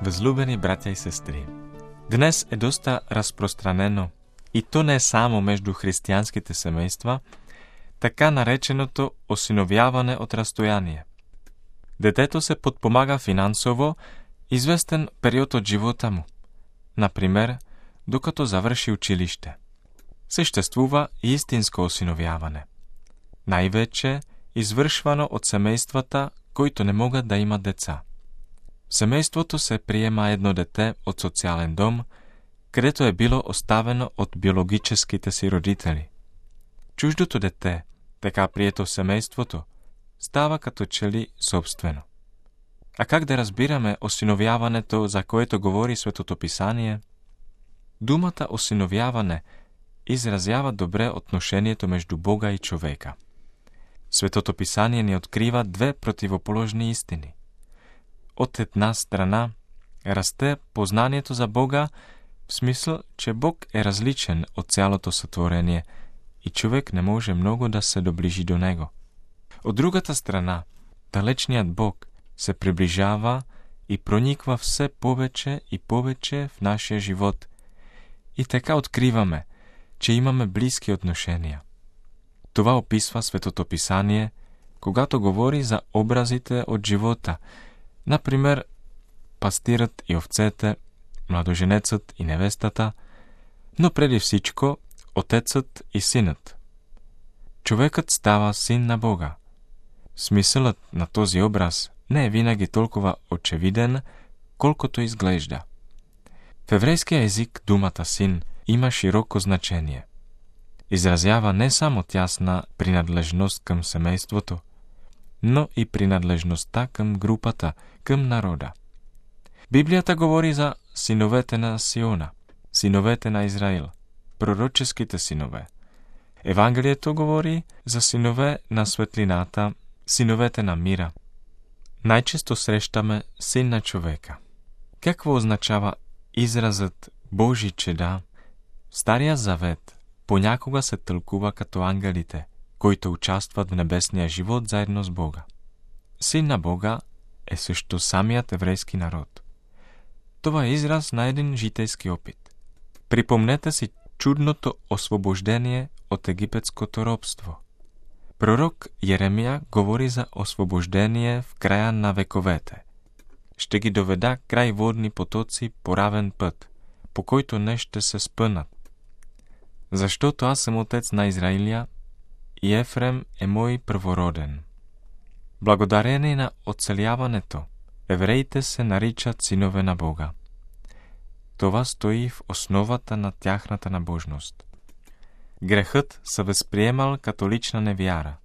Възлюбени братя и сестри, днес е доста разпространено, и то не само между християнските семейства, така нареченото осиновяване от разстояние. Детето се подпомага финансово известен период от живота му, например, докато завърши училище. Съществува и истинско осиновяване, най-вече извършвано от семействата, които не могат да имат деца. В семейството се приема едно дете от социален дом, където е било оставено от биологическите си родители. Чуждото дете, така прието в семейството, става като че ли собствено. А как да разбираме осиновяването, за което говори Светото Писание? Думата осиновяване изразява добре отношението между Бога и човека. Светото Писание ни открива две противоположни истини. От една страна расте познанието за Бога, в смисъл, че Бог е различен от цялото сътворение и човек не може много да се доближи до Него. От другата страна, далечният Бог се приближава и прониква все повече и повече в нашия живот. И така откриваме, че имаме близки отношения. Това описва Светото Писание, когато говори за образите от живота, например, пастирът и овцете, младоженецът и невестата, но преди всичко отецът и синът. Човекът става син на Бога. Смисълът на този образ не е винаги толкова очевиден, колкото изглежда. В еврейския език думата син има широко значение. Изразява не само тясна принадлежност към семейството, но и принадлежността към групата, към народа. Библията говори за синовете на Сиона, синовете на Израил, пророческите синове. Евангелието говори за синове на светлината, синовете на мира. Най-често срещаме син на човека. Какво означава изразът Божи чеда? В Стария Завет понякога се тълкува като ангелите, които участват в небесния живот заедно с Бога. Син на Бога е също самият еврейски народ. Това е израз на един житейски опит. Припомнете си чудното освобождение от египетското робство. Пророк Еремия говори за освобождение в края на вековете. Ще ги доведа край водни потоци по равен път, по който не ще се спънат. Защото аз съм отец на Израиля и Ефрем е мой първороден. Благодарение на оцеляването, евреите се наричат синове на Бога. Това стои в основата на тяхната набожност. Грехът се възприемал като лична невяра,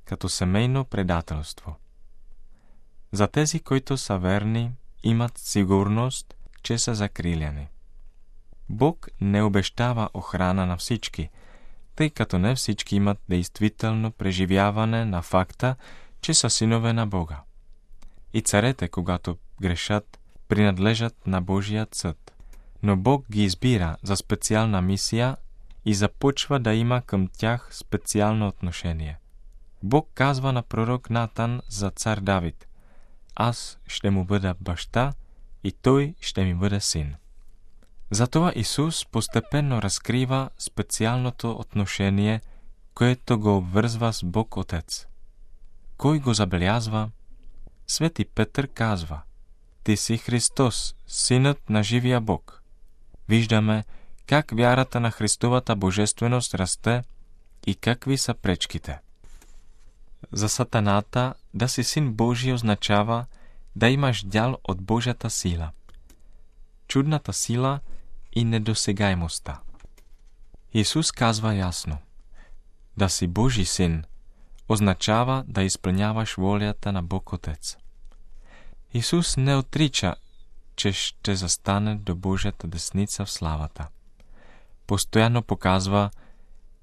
като семейно предателство. За тези, които са верни, имат сигурност, че са закриляни. Бог не обещава охрана на всички, тъй като не всички имат действително преживяване на факта, че са синове на Бога. И царете, когато грешат, принадлежат на Божият съд. Но Бог ги избира за специална мисия и започва да има към тях специално отношение. Бог казва на пророк Натан за цар Давид: аз ще му бъда баща и той ще ми бъде син. Затова Исус постепенно разкрива специалното отношение, което го обвързва с Бог Отец. Кой го забелязва? Свети Петър казва: ти си Христос, синът на живия Бог. Виждаме как вярата на Христовата божественост расте и какви са пречките. За сатаната да си син Божий означава да имаш дял от Божията сила. Чудната сила и недосегаемостта. Исус казва ясно: да си Божий син означава да изпълняваш волята на Бог Отец. Исус не отрича, че ще застане до Божията десница в славата. Постоянно показва,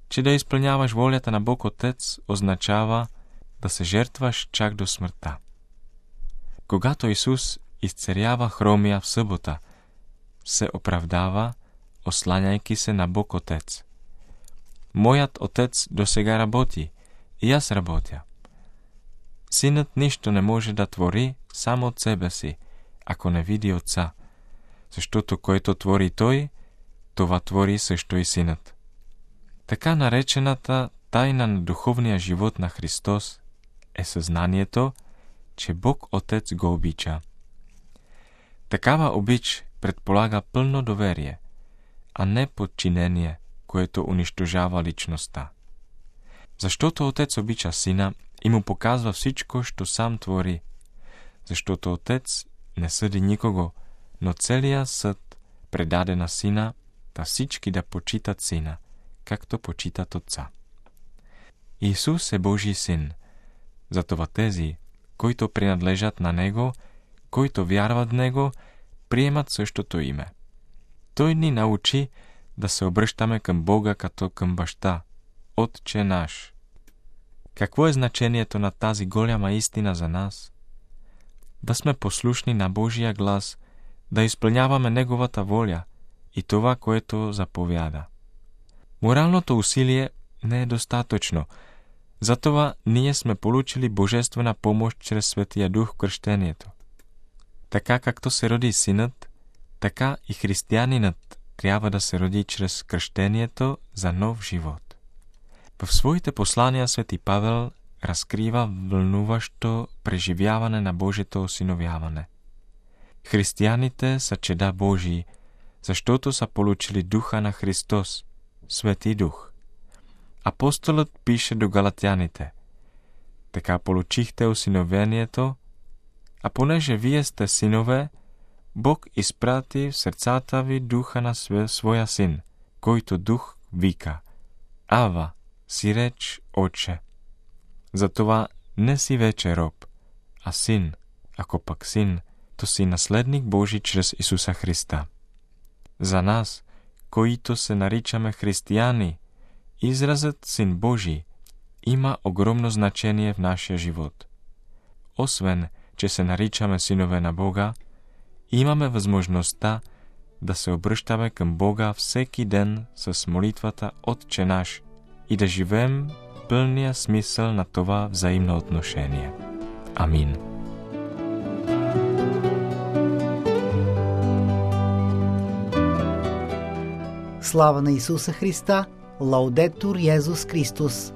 че да изпълняваш волята на Бог Отец означава да се жертваш чак до смъртта. Когато Исус изцерява хромия в събота, се оправдава, осланяйки се на Бог Отец. Моят Отец досега работи и аз работя. Синът нищо не може да твори само от себе си, ако не види Отца, защото който твори Той, това твори също и Синът. Така наречената тайна на духовния живот на Христос е съзнанието, че Бог Отец го обича. Такава обич предполага пълно доверие, а не подчинение, което унищожава личността. Защото Отец обича Сина и му показва всичко, що сам твори. Защото Отец не съди никого, но целият съд предаде на Сина, да всички да почитат Сина, както почитат Отца. Исус е Божий Син, затова тези, които принадлежат на Него, които вярват в Него, приемат същото име. Той ни научи да се обръщаме към Бога като към Баща, Отче наш. Какво е значението на тази голяма истина за нас? Да сме послушни на Божия глас, да изпълняваме Неговата воля и това, което заповяда. Моралното усилие не е достатъчно, затова ние сме получили божествена помощ чрез Светия Дух в кръщението. Така както се роди Синът, така и християнинът трябва да се роди чрез кръщението за нов живот. В своите послания Свети Павел разкрива вълнуващо преживяване на Божието осиновяване. Християните са чеда Божии, защото са получили Духа на Христос, Свети Дух. Апостолът пише до галатяните: така получихте осиновението, а понеже вие сте синове, Бог изпрати в сърцата ви Духа на своя Син, който Дух вика: Ава, си реч, Отче. Затова не си вече роб, а син. Ако пък син, то си наследник Божий чрез Исуса Христа. За нас, които се наричаме християни, изразът Син Божий има огромно значение в нашия живот. Освен, че се наричаме синове на Бога, имаме възможността да се обръщаме към Бога всеки ден с молитвата Отче наш и да живеем пълния смисъл на това взаимно отношение. Амин. Слава на Исуса Христа! Лаудетур Йезус Христос!